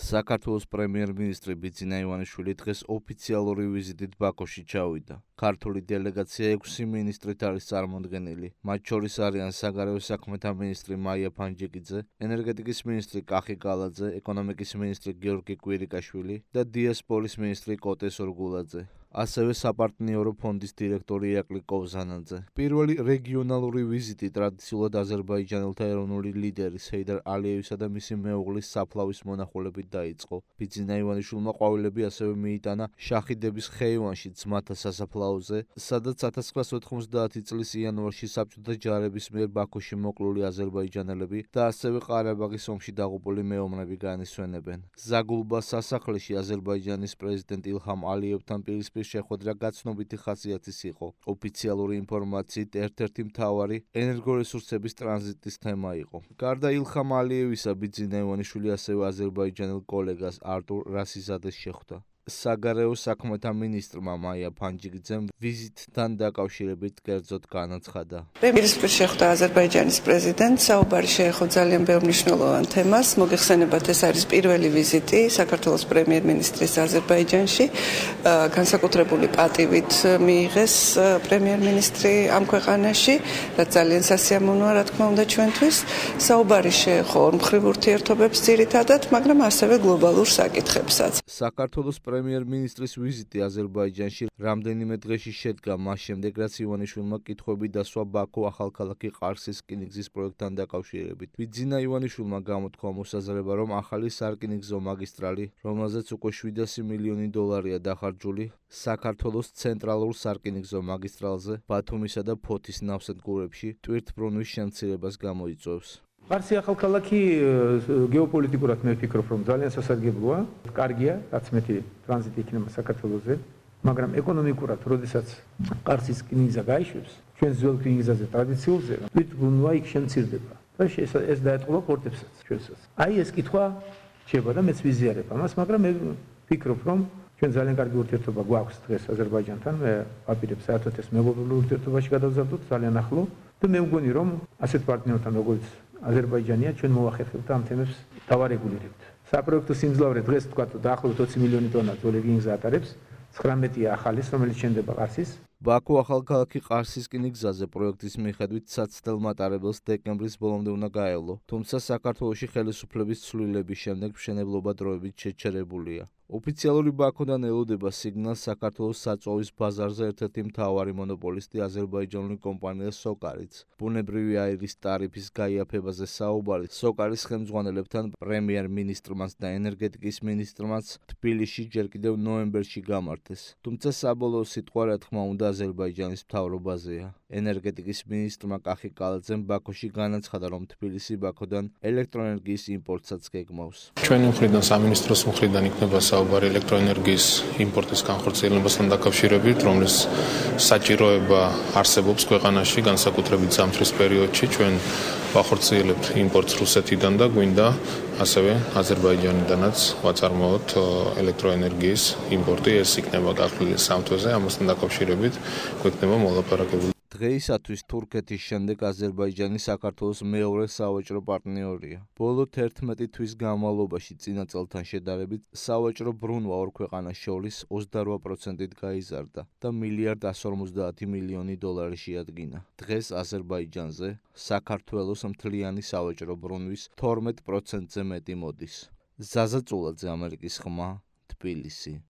საქართველოს პრემიერ-მინისტრი ბიძინა ივანიშვილი დღეს ოფიციალური ვიზიტით ბაქოში ჩავიდა. ქართული დელეგაცია 6 მინისტრით არის წარმოდგენილი. მათ შორის არიან საგარეო საქმეთა მინისტრი მაია ფანჯიკიძე, ენერგეტიკის მინისტრი კახი გალაძე, ეკონომიკის მინისტრი გიორგი კვირიკაშვილი და დიასპორის მინისტრი კოტე სურგულაძე. ასევე საპარტნიორო ფონდის დირექტორი ირაკლი კოვზანაძე. პირველი რეგიონალური ვიზიტი ტრადიციულად აზერბაიჯანელთა ეროვნული ლიდერის ჰეიდარ ალიევისა და მისი მეუღლის საფლავის მონახულებით დაიწყო. ბიძინა ივანიშვილმა ყვავილები ასევე მიიტანა შაჰიდების ხეივანში ძმათა სასაფლაოზე, სადაც 1990 წლის იანვარში საბჭოთა ჯარების მიერ ბაქოში მოკლული აზერბაიჯანელები და ასევე ყარაბაღის ომში დაღუპული მეომრები განისვენებენ. ზაგულბა სასახლეში აზერბაიჯანის პრეზიდენტ ილჰამ ალიევთან პირისპირ შეხვედრა გაცნობიტი ხასიათის იყო. ოფიციალური ინფორმაციით ერთ-ერთი მთავარი ენერგორესურსების ტრანზიტის თემა იყო. გარდა ილჰამ ალიევისა, ბიძინა ივანიშვილი ასევე აზერბაიჯანელ კოლეგას არტურ რასიზადეს შეხვდა. საგარეო საქმეთა მინისტრმა მაია ფანჯიკიძემ ვიზიტთან დაკავშირებით კერძოდ განაცხადა. პირისპირ შეხვდა აზერბაიჯანის პრეზიდენტს, საუბარი შეეხო ძალიან ბევრ მნიშვნელოვან თემას. მოგეხსენებათ, ეს არის პირველი ვიზიტი საქართველოს პრემიერ-მინისტრის აზერბაიჯანში. განსაკუთრებული პატივით მიიღეს პრემიერ-მინისტრი ამ ქვეყანაში, რაც ძალიან სასიამოვნოა, რა თქმა უნდა, ჩვენთვის. საუბარი შეეხო ორმხრივ ურთიერთობებს ძირითადად, მაგრამ ასევე გლობალურ საკითხებსაც. საქართველოს პრემიერ-მინისტრის ვიზიტი აზერბაიჯანში რამდენიმე დღეში შედგა მას შემდეგ, რაც ივანიშვილმა კითხვები დასვა ბაქო ახალქალაქი ყარსის რკინიგზის პროექტთან დაკავშირებით. ბიძინა ივანიშვილმა გამოთქვა მოსაზრება, რომ ახალი სარკინიგზო მაგისტრალი, რომელზეც უკვე 700 მილიონი დოლარია დახარჯული, საქართველოს ცენტრალურ სარკინიგზო მაგისტრალზე, ბათუმისა და ფოთის ნავსადგურებში ტვირთბრუნვის შემცირებას გამოიწვევს. ყარსი ახალქალაქი გეოპოლიტიკურად მე ვფიქრობ, რომ ძალიან სასარგებლოა, კარგია, რაც მეტი ტრანზიტი იქნება საქართველოზე, მაგრამ ეკონომიკურად, როდესაც ყარსის რკინიგზა გაიშვებს, ჩვენ ძველ რკინიგზაზე ტრადიციულზე, თვითბრუნვა იქ შემცირდება და ეს დაეტყობა პორტებსაც ჩვენსაც. აი ეს კითხვა შეება და მეც ვიზიარებ ამას, მაგრამ მე ვფიქრობ, რომ ჩვენ ძალიან კარგი ურთიერთობა გვაქვს დღეს აზერბაიჯანთან, მე ვაპირებ საერთოდ ეს მეგობრულ ურთიერთობაში გადავზარდოთ ძალიან ახლო და მე მგონი, რომ ასეთ პარტნიორთან როგორც აზერბაიჯანია ჩვენ მოვახერხებთ ამ თემებს დავარეგულირებთ. საპროექტო სიმძლავრე დღეს თქვა დაახლოებით 20 მილიონი ტონა ძველ რკინიგზა ატარებს, 19-ია ახალის, რომელიც შენდება ყარსის. ბაქო ახალქალაქი ყარსის რკინიგზაზე პროექტის მიხედვით საცდელ მატარებელს დეკემბრის ბოლომდე უნდა გაევლო, თუმცა საქართველოში ხელისუფლების ცვლილების შემდეგ მშენებლობა დროებით შეჩერებულია. ოფიციალური ბაქოდან ელოდება სიგნალს საქართველოს საწვავის ბაზარზე ერთ-ერთი მთავარი მონოპოლისტი აზერბაიჯანული კომპანია სოკარიც. ბუნებრივი აირის ტარიფის გაიაფებაზე საუბარი სოკარის ხელმძღვანელებთან პრემიერ-მინისტრმაც და ენერგეტიკის მინისტრმაც თბილისში ჯერ კიდევ ნოემბერში გამართეს. თუმცა საბოლოო სიტყვა, რა თქმა უნდა, აზერბაიჯანის მთავრობაზეა. ენერგეტიკის მინისტრმა კახი გალაძემ ბაქოში განაცხადა, რომ თბილისი ბაქოდან ელექტროენერგიის იმპორტსაც გეგმავს. ჩვენი მხრიდან, სამინისტროს მხრიდან იქნება საუბარი ელექტროენერგიის იმპორტის განხორციელებასთან დაკავშირებით, რომლის საჭიროება არსებობს ქვეყანაში, განსაკუთრებით ზამთრის პერიოდში. ჩვენ ვახორციელებთ იმპორტს რუსეთიდან და გვინდა ასევე აზერბაიჯანიდანაც ვაწარმოოთ ელექტროენერგიის იმპორტი. ეს იქნება გახლილი სამთვეზე, ამასთან დაკავშირებით გვექნება მოლაპარაკებული. დღეისათვის თურქეთის შემდეგ აზერბაიჯანი საქართველოს მეორე სავაჭრო პარტნიორია. ბოლო 11 თვის განმავლობაში წინა წელთან შედარებით სავაჭრო ბრუნვა ორ ქვეყანას შორის 28%-ით გაიზარდა და $1.150 მილიონი შეადგინა. დღეს აზერბაიჯანზე საქართველოს მთლიანი სავაჭრო ბრუნვის 12%-ზე მეტი მოდის. ზაზა წულაძე, ამერიკის ხმა, თბილისი.